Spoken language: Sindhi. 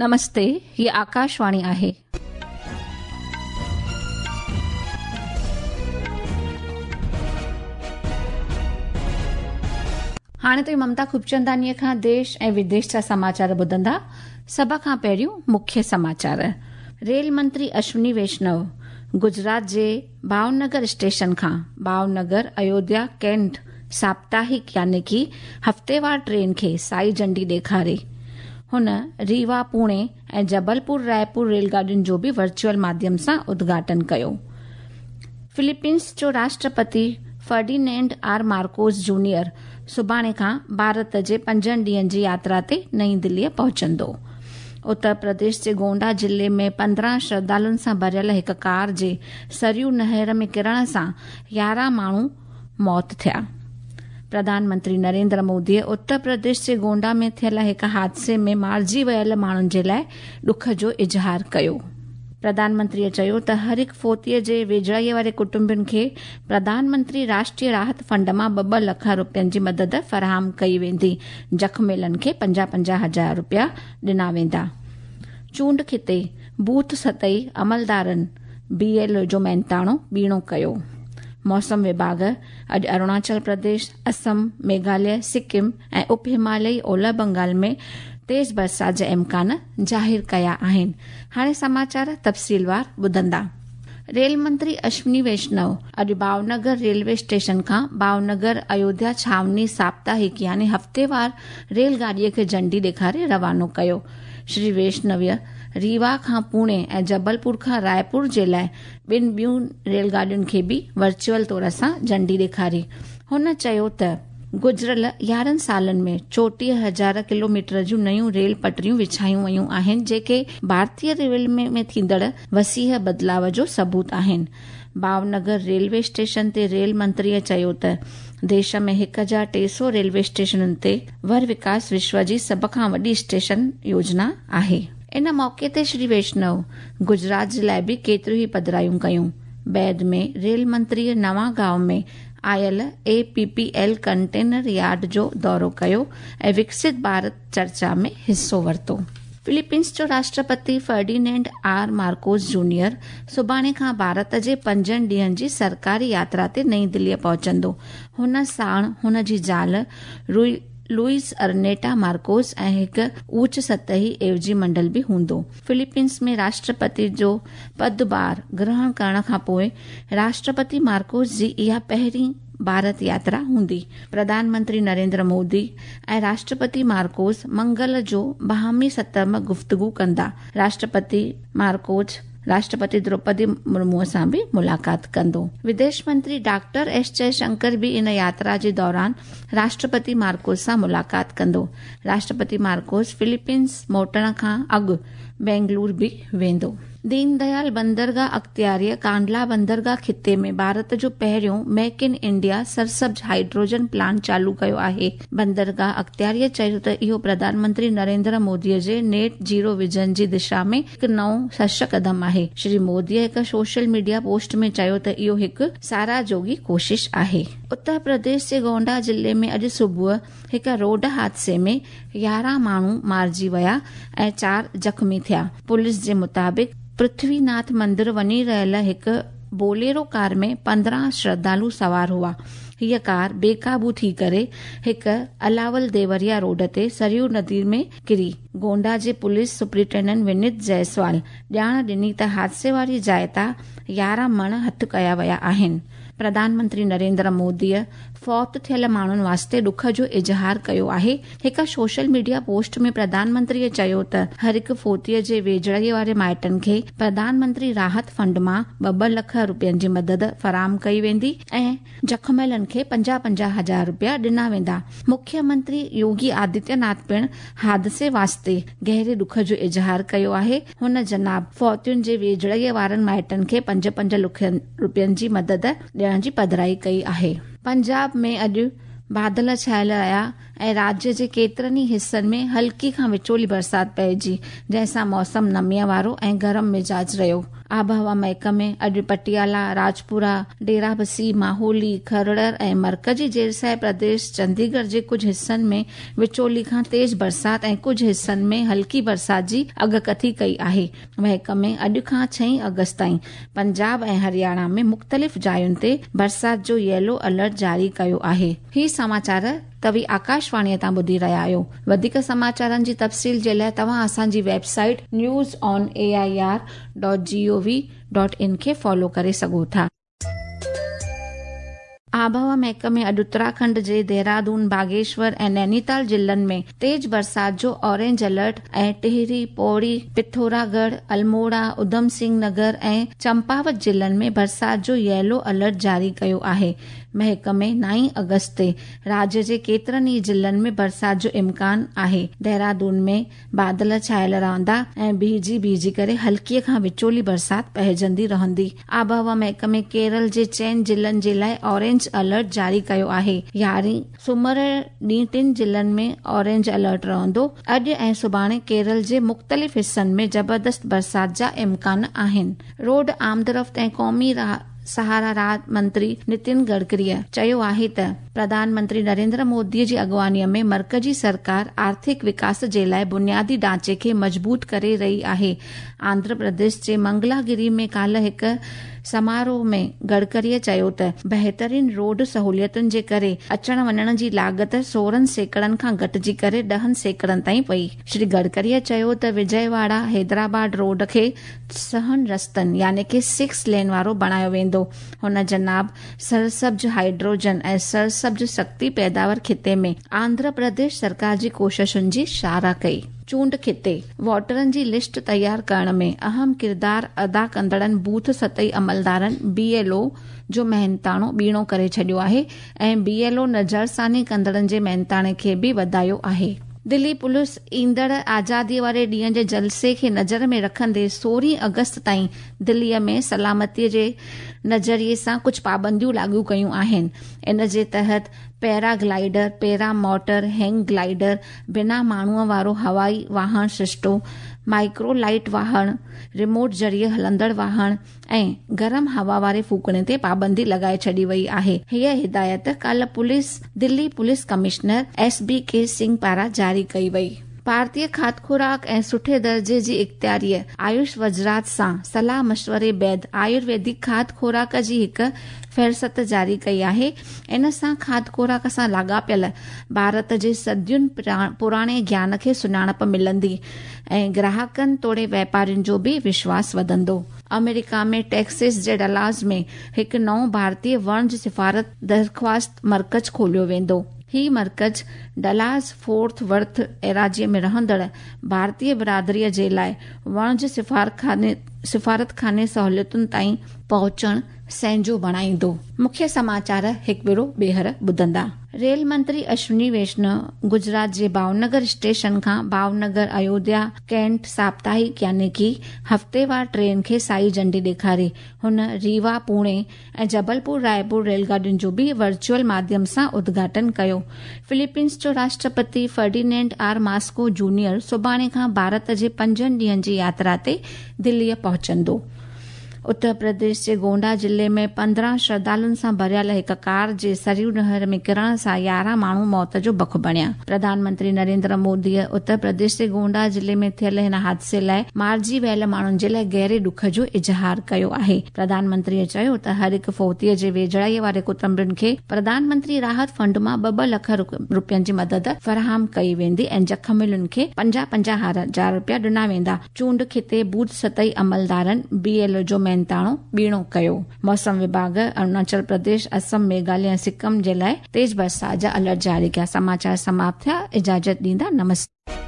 نمستي، هي آڪاشواڻي آهي. هاڻي توهين ممتا خوبچندانيء کان ديش ۽ وديش جا سماچار ٻڌندا. سڀ کان پهريون مکيه سماچار. ريل منتري اشوني ويشنو گجرات جي ڀاونگر اسٽيشن کان ڀاونگر ايوڌيا ڪينٽ ساپتاهڪ يعني ڪي هفتيوار ٽرين کي سائي جهنڊي ڏيکاري. هن ريوا پوڻي ۽ جبلپور رائپور ريل گاڏين جو به ورچوئل ماڌيم سان ادگهاٽن ڪيو. فلپينس جو Rashtrapati Ferdinand R Marcus junior سڀاڻي کان ڀارت جي پنجن ڏينهن جي ياترا تي نئين دليء پهچندو. اتر پرديش جي گونڊا ضلعي ۾ 15 شرڌالن سان ڀريل هڪ ڪار جي سريو نهر ۾ ڪرڻ سان 11 ماڻهو موت ٿيا. پرڌان منتري نريندر موديء اتر پرديش جي گونڊا ۾ ٿيل هڪ حادثي ۾ مارجي ويل ماڻهن جي لاء ڏک جو اظهار ڪيو. پرڌان منتريء چيو ته هر هڪ فوتيء جي ويجهڙائيء واري ڪٽنبن کي پرڌان منتري راشٽريه راحت فنڊ مان ٻه ٻه لک رپين جي مدد فراهم ڪئي ويندي، زخميلن کي 50 50 هزار رپيا ڏنا ويندا. چونڊ خطي بوٿ سطحي عملدارن بي ايل او جو محنتاڻو ٻيڻو ڪيو. موسم وڀاڳ اڄ اروناچل پرديش، اسم، ميگهاليه، سڪم ۽ اپ هماليائي اولهه بنگال ۾ تيز برسات جا امڪان ظاهر ڪيا آهن. هاڻي سماچار تفصيلوار ٻڌندا. ريل منتري اشوني ويشنو اڄ ڀاونگر ريلوي اسٽيشن کان ڀاونگر ايوڌيا ڇانوني ساپتاهڪ يعني هفتيوار ريل گاڏيء کي جهنڊي ڏيکاري روانو ڪيو. شري ويشنويء ريوا کان پوڻي ۽ جبلپور کان رائپور جي لاء ٻن ٻيون ريل گاڏين کي به ورچوئل طور سان جهنڊي ڏيکاري. هن چيو ته گذريل 11 سالن ۾ 34 هزار ڪلوميٽر جون نيون ريل پٽريون وڇايون ويون آهن جيڪي ڀارتي ريلوي ۾ ٿيندڙ وسيع بدلاء جو ثبوت آهن. ڀاونگر ريلوي اسٽيشن تي ريل منتريء چيو ته ديش ۾ 1300 ريلوي اسٽيشنن تي ور وڪاس وشو جي سڀ کان وڏي اسٽيشن يوجنا آهي. ان موقعي تي شري ويشنو گجرات جي لاء به ڪيتريون ئي پڌرايون ڪيون. بعد ۾ ريل منتريء نوان گائون ۾ آيل A P P L container yard جو دورو ڪيو ۽ وڪست ڀارت چرچا ۾ حصو ورتو. فلپينس جو Rashtrapati Ferdinand R Marcus junior سڀاڻي کان ڀارت جي پنجن ڏينهن جي سرڪاري ياترا تي نئين دليء پهچندو. هن ساڻ هن جي زال روئي لوئس ارنيٽا مارڪوس ۽ هڪ اوچ سطحي عيوضي منڊل به هوندو. فلپينس ۾ راشٽرپتي جو پدڀار گرهڻ ڪرڻ کان پوء راشٽرپتي مارڪوس جي اها پهرين ڀارت ياترا هوندي. پرڌان منتري نريندر مودي ۽ راشٽرپتي مارڪوس منگل جو باهمي سطح م گفتگو ڪندا. راشٽرپتي مارڪوس راشٽرپتي دروپدي مرمو سان به ملاقات ڪندو. وديش منتري ڊاڪٽر ايس جئه شنڪر به ان ياترا جي دوران راشٽرپتي مارڪوس سان ملاقات ڪندو. راشٽرپتي مارڪوس فلپينس موٽڻ کان اڳ بينگلور به ويندو. دين ديال بندرگاهه اختياريء ڪانڊلا بندرگاهه خطي ۾ ڀارت جو پهريون ميڪ ان انڊيا سرسبز هائيڊروجن پلانٽ چالو ڪيو آهي. بندرگاهه اختياريء چيو ته اهو پرڌان منتري نريندر موديء جي نيٽ زيرو ويزن جي دشا ۾ هڪ نئون سش قدم آهي. شري موديء هڪ سوشل ميڊيا پوسٽ ۾ چيو ته اهو هڪ ساراهه جوڳي ڪوشش آهي. اتر پرديش جي گونڊا ضلعي ۾ اڄ صبح هڪ روڊ حادثي ۾ 11 ماڻهو مارجي ويا ۽ چار زخمي ٿيا. پوليس جي مطابق پرٿوي ناٿ مندر وڃي رهيل هڪ بوليرو ڪار ۾ 15 شرڌالو سوار هئا. هيء ڪار بي قابو ٿي ڪري هڪ الاول ديوريا روڊ تي سريو ندي ۾ ڪري. گونڊا جي پوليس سپرنٽينڊنٽ ونيت جئسوال ڄاڻ ڏني ته حادثي واري جاء تان 11 مڻ هٿ ڪيا ويا آهن. پرڌان منتري نريندر موديء فوت ٿيل ماڻهن واسطي ڏک جو اظهار ڪيو آهي. هڪ سوشل ميڊيا پوسٽ ۾ پرڌان منتريء چيو ته هر هڪ فوتيء جي ويجهڙائيء واري مائٽن کي پرڌان منتري راحت فنڊ مان ٻه ٻه لک رپين جي مدد فراهم ڪئي ويندي ۽ زخميلن کي 50 50 هزار رپيا ڏنا ويندا. مکيه منتري يوگي آدتيه ناٿ پڻ حادثي واسطي گهري ڏک جو اظهار ڪيو آهي. هن جناب فوتين جي ويجهڙائيء وارن مائٽن کي پنج پنج لکين رپين جي مدد ڏيڻ جي پڌرائي ڪئي آهي. پنجاب ۾ اڄ بادل ڇانيل رهيا ۽ راجيه جي ڪيترن ئي حصن ۾ هلڪي کان وچولي برسات پئجي، جنهن سان موسم نميء وارو ۽ گرم مزاج رهيو. آبهوا محڪمي اڄ پٽيالا، راجپورا، ڊيرابسي، ماهولي، کرڙر ۽ مرڪزي زيرسايه پرديش چنديڳڙهه جي ڪجهه حصن ۾ وچولي کان تيز برسات ۽ ڪجهه حصن ۾ هلڪي برسات جي اڳڪٿي ڪئي آهي. محڪمي اڄ کان ڇهين آگسٽ تائين پنجاب ۽ هرياڻا ۾ مختلف جاين تي برسات جو ييلو الرٽ جاري ڪيو آهي. هي سماچار توهين آڪاشواڻيء تان ٻڌي رهيا آهيو. وڌيڪ سماچارن جي تفصيل جي لاء توهان اسان جي website news on A I R dot G O V dot in کي فالو ڪري سگهو ٿا. آبهوا محڪمي اڄ اتراکنڊ جي ديهرادون، باگيشور ۽ نينيتال ضلعن ۾ تيز برسات جو اورينج الرٽ ۽ ٽهري، پوڙي، پٿوراڳڙهه، الموڙا، اڌم سنگهه نگر ۽ چمپاوت ضلعن ۾ برسات جو ييلو الرٽ جاري ڪيو آهي. محڪمي نائين آگسٽ تي راجيه جي ڪيترن ئي ضلعن ۾ برسات جو امڪان آهي. ديهرادون ۾ بادل ڇانيل رهندا ۽ بيهجي بيهجي ڪري هلڪي کان وچولي برسات پئجندي رهندي. آبهوا محڪمي ڪيرل جي چئن ضلعن جي لاء اورينج الرٽ جاري ڪيو آهي. يارهين سومر ڏينهن ٽن ضلعن ۾ اورينج الرٽ رهندو. اڄ ۽ سڀاڻي ڪيرل جي مختلف حصن ۾ زبردست برسات جا امڪان آهن. روڊ آمدرفت ۽ قومي سهارا راهه منتري نتن گڊڪريء چيو آهي ته پرڌان منتري نريندر مودي جي اڳواڻيء ۾ مرڪزي سرڪار آرٿڪ وڪاس جي لاء بنيادي ڍانچي کي مضبوط ڪري رهي آهي. آنڌرا پرديش جي منگلاگري ۾ ڪالهه هڪ سماروهه ۾ گڊڪريء چيو ته بهترين روڊ سهوليتن جي ڪري اچڻ وڃڻ جي لاڳت 16% کان گهٽجي ڪري 10% تائين پئي. شري گڊڪريء چيو ته وجئه واڙا حيدرآباد روڊ کي ڇهن رستن يعني ڪي سڪس لين وارو بڻايو ويندو. هن جناب سرسبز هائيڊروجن ۽ سرسبز شڪتي پيداوار خطي ۾ آنڌرا پرديش سرڪار جي ڪوششن جي ساراهه ڪئي. چونڊ خطي ووٽرن جي لسٽ تيار ڪرڻ ۾ اهم ڪردار ادا ڪندڙن بوٿ سطحي عملدارن، بي ايل او، جو محنتاڻو ٻيڻو ڪري ڇڏيو آهي ۽ بي ايل او نظرثاني ڪندڙن جي محنتاڻي کي به وڌايو آهي. دلي پوليس ايندڙ آزادي واري ڏينهن جي جلسي کي نظر ۾ رکندي 16 آگسٽ تائين دلي ۾ سلامتي جي نظريي سان ڪجهه پابنديون لاڳو ڪيون آهن. ان جي تحت paraglider, paramotor, hang glider, بنا ماڻهوء وارو هوائي واهڻ سرشتو، مائيڪرو لائيٽ واهڻ، ريموٽ ذريعي هلندڙ واهڻ، ۽ گرم هوا واري ڦوڪڻي تي پابندي لڳائي ڇڏي وئي آهي. هيء هدايت ڪالهه police Delhi police commissioner S B K Singh پاران جاري ڪئي وئي. ڀارتي کاڌ خوراڪ ۽ سٺي درجي جي اختياريء آيوش وزارت سان صلاح مشوري بعد آيورويدڪ کاڌ خوراڪ جي هڪ فهرست جاري ڪئي آهي. ان سان کاڌ خوراڪ سان لاڳاپيل ڀارت جي صدين پراڻي گيان کي سڃاڻپ ملندي ۽ گراهڪن توڙي واپارين جو به وشواس وڌندو. آمريڪا ۾ ٽيڪسس جي ڊلاس ۾ هڪ نئون ڀارتي وڻج سفارت درخواست مرڪز کوليو ويندو. هي مرڪز ڊلاس فورٿ ورٿ ايراضيء ۾ رهندڙ ڀارتي برادريء جي لاء وڻج سفارتخاني سهولتن تائين پهچڻ سهنجو بڻائيندو. مکيه سماچار هڪ ڀيرو ٻيهر ٻڌندا. ريل منتري اشوني ويشنو گجرات جي ڀاونگر اسٽيشن کان ڀاونگر ايوڌيا ڪينٽ ساپتاهڪ يعني ڪي هفتيوار ٽرين کي سائي جهنڊي ڏيکاري. هن ريوا پوڻي ۽ جبلپور رائپور ريل گاڏين جو به ورچوئل ماڌيم سان ادگهاٽن ڪيو. فلپينز جو Rashtrapati Ferdinand R Moscow junior سڀاڻي کان ڀارت جي پنجن ڏينهن جي ياترا تي دليء پهچندو. اتر پرديش جي گونڊا ضلعي ۾ 15 شرڌالن سان ڀريل هڪ ڪار جي سريو نهر ۾ ڪرڻ سان 11 ماڻهو موت جو بک بڻيا. پرڌان منتري نريندر موديء اتر پرديش جي گونڊا ضلعي ۾ ٿيل هن حادثي لاء مارجي ويل ماڻهن جي لاء گهري ڏک جو اظهار ڪيو آهي. پرڌان منتريء چيو ته هر هڪ فوتيء جي ويجهڙائيء واري ڪٽنبن کي پرڌان منتري راحت فنڊ مان ٻه ٻه لک رپين جي مدد فراهم ڪئي ويندي ۽ زخمين کي 50 50 هزار رپيا ڏنا ويندا. چونڊ خطي بوٿ سطحي عملدارن بي ايل او جو محنتاڻو ٻيڻو ڪيو. موسم وڀاڳ اروناچل پرديش، اسم، ميگهاليه ۽ سڪم جي لاء تيز برسات جا الرٽ جاري ڪيا. سماچار سماپت ٿيا. اجازت ڏيندا. نمستي.